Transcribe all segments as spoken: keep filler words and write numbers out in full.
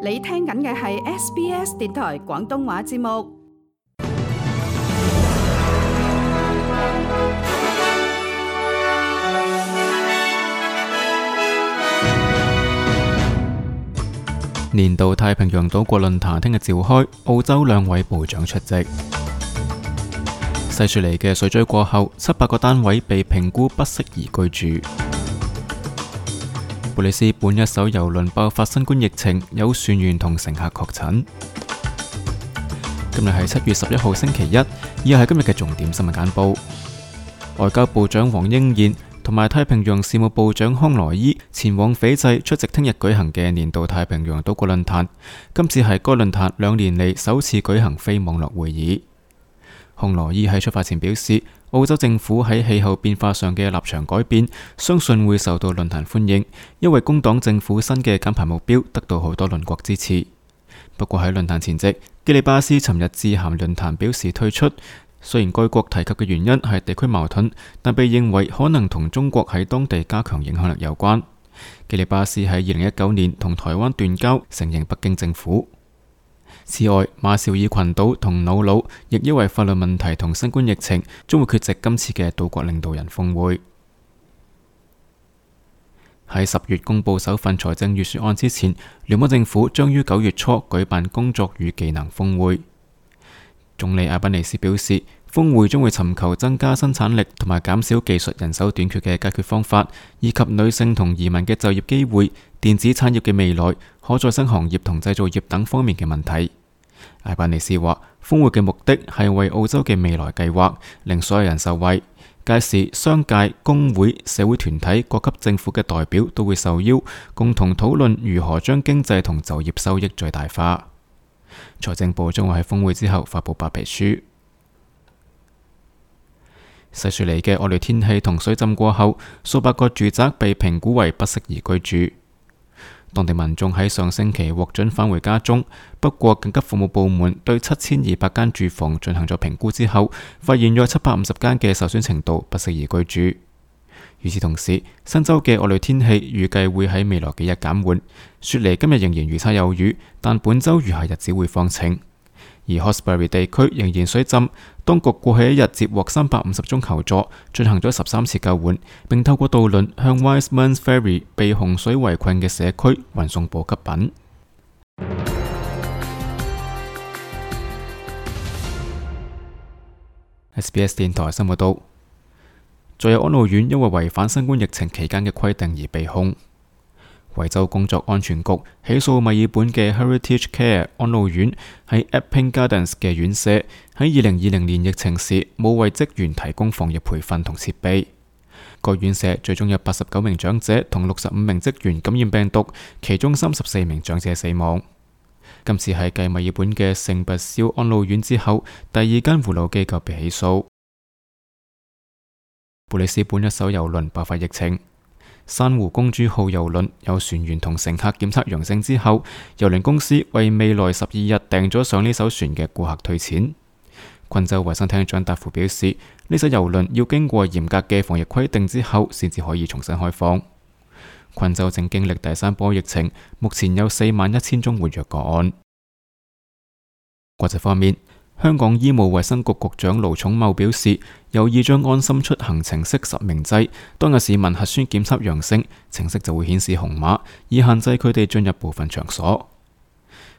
你聽緊嘅係 S B S 電台廣東話節目。年度太平洋島國論壇聽日召開，澳洲兩位部長出席。西雪梨嘅水災過後，七百個單位被評估不適宜居住。布里斯本一艘郵輪爆發新冠疫情，有船員同乘客確診。今日係七月十一號星期一，以下係今日嘅重點新聞簡報。外交部長黃英賢同埋太平洋事務部長康萊伊前往斐濟出席聽日舉行嘅年度太平洋島國論壇，今次係該論壇兩年嚟首次舉行非網絡會議。康萊伊喺出發前表示，澳洲政府喺氣候變化上嘅立場改變，相信會受到論壇歡迎，因為工黨政府新嘅減排目標得到好多鄰國支持。不過喺論壇前夕，基里巴斯尋日致函論壇表示退出。雖然該國提及嘅原因係地區矛盾，但被認為可能同中國喺當地加強影響力有關。基里巴斯喺二零一九年同台灣斷交，承認北京政府。此外，馬紹爾群島同瑙魯亦因為法律問題同新冠疫情，將會缺席今次嘅島國領導人峰會。喺十月公布首份財政預算案之前，聯邦政府將於九月初舉辦工作與技能峰會。總理阿賓尼斯表示，峰會將會尋求增加生產力同埋減少技術人手短缺嘅解決方法，以及女性同移民嘅就業機會、電子產業嘅未來、可再生行業同製造業等方面嘅問題。阿賓尼斯話，峰會嘅目的係為澳洲嘅未來計劃，令所有人受惠。屆時，商界、工會、社會團體、各級政府嘅代表都會受邀，共同討論如何將經濟同就業收益最大化。財政部將會喺峰會之後發佈白皮書。西雪梨嘅惡劣天氣同水浸過後，數百個住宅被評估為不適宜居住。當地民眾喺上星期獲准返回家中，不過緊急服務部門對七千二百間住房進行咗評估之後，發現約七百五十間嘅受損程度不適宜居住。與此同時，新州嘅惡劣天氣預計會喺未來幾日減緩。雪梨今日仍然預測有雨，但本周餘下日子會放晴。而 Hawkesbury 地區仍然水浸，當局過去一日接獲三百五十宗求助，進行咗十三次救援，並透過渡輪向 Wisemans Ferry 被洪水圍困嘅社區運送補給品。S B S 電台新聞報道。再有安老院因為違反新冠疫情期間嘅規定而被控。維州工作安全局起訴墨爾本嘅 Heritage Care 安老院喺 Epping Gardens 嘅院舍喺二零二零年疫情時冇為職員提供防疫培訓同設備。該院舍最終有八十九名長者同六十五名職員感染病毒，其中三十四名長者死亡。今次係繼墨爾本嘅聖拔肖安老院之後，第二間護老機構被起訴。布里斯本一艘郵輪爆發疫情，珊瑚公主號郵輪有船員同乘客檢測陽性之後，郵輪公司為未來十二日訂咗上呢艘船嘅顧客退錢。昆州衛生廳長達夫表示，呢艘郵輪要經過嚴格嘅防疫規定之後，先至可以重新開放。昆州正經歷第三波疫情，目前有四萬一千宗活躍個案。國際方面，香港醫務衛生局局長盧寵茂表示，有意將安心出行程式實名制，當有市民核酸檢測陽性，程式就會顯示紅碼，以限制佢哋進入部分場所。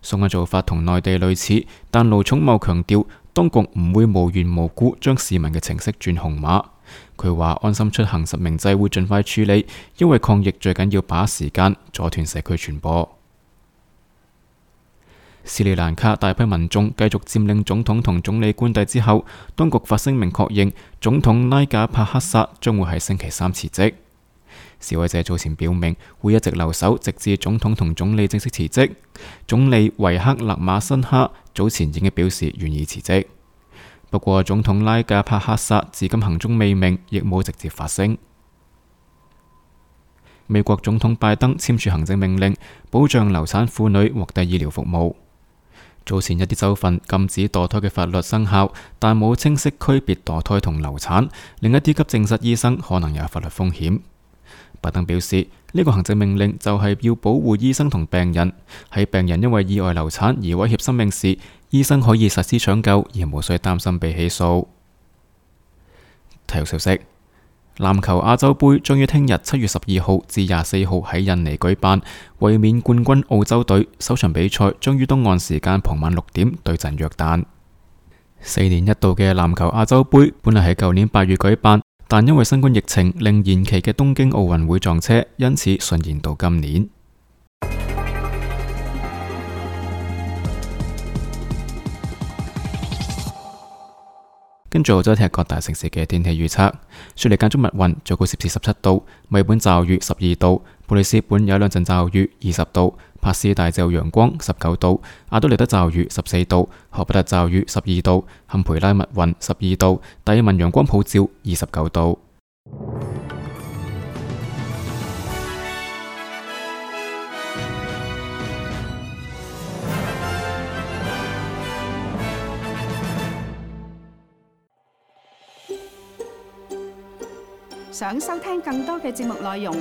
相關做法同內地類似，但盧寵茂強調，當局唔會無緣無故將市民嘅程式轉紅碼。佢話安心出行實名制會盡快處理，因為抗疫最緊要把握時間，阻斷社區傳播。斯里蘭卡大批民眾繼續佔領總統同總理官邸之後，當局發聲明確認總統拉賈帕克薩將會喺星期三辭職。示威者早前表明會一直留守，直至總統同總理正式辭職。總理維克勒馬辛哈早前已經表示願意辭職，不過總統拉賈帕克薩至今行蹤未明，亦冇直接發聲。美國總統拜登簽署行政命令，保障流產婦女獲得醫療服務。早前一啲州份禁止墮胎嘅法律生效，但冇清晰區別墮胎同流產，另一啲急症室醫生可能有法律風險。拜登表示，呢個行政命令就係要保護醫生同病人，喺病人因為意外流產而威脅生命時，醫生可以實施搶救而無需擔心被起訴。體育消息：籃球亞洲盃將於聽日七月十二號至廿四號喺印尼舉辦，衛冕冠軍澳洲隊首場比賽將於東岸時間傍晚六點對陣約旦。四年一度嘅籃球亞洲盃本嚟喺舊年八月舉辦，但因為新冠疫情令延期嘅東京奧運會撞車，因此順延到今年。跟住再睇下各大城市嘅天氣預測：雪梨間中密雲，最高攝氏十七度；墨爾本驟雨十二度；布里斯本有兩陣驟雨二十度；帕斯大就陽光十九度；阿德利德驟雨十四度；荷伯特驟雨十二度；坎培拉密雲十二度；達爾文陽光普照二十九度。想收聽更多嘅節目內容，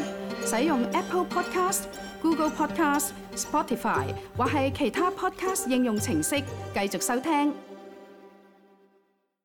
使用 Apple Podcast、Google Podcast、Spotify 或係其他 Podcast 應用程式繼續收聽。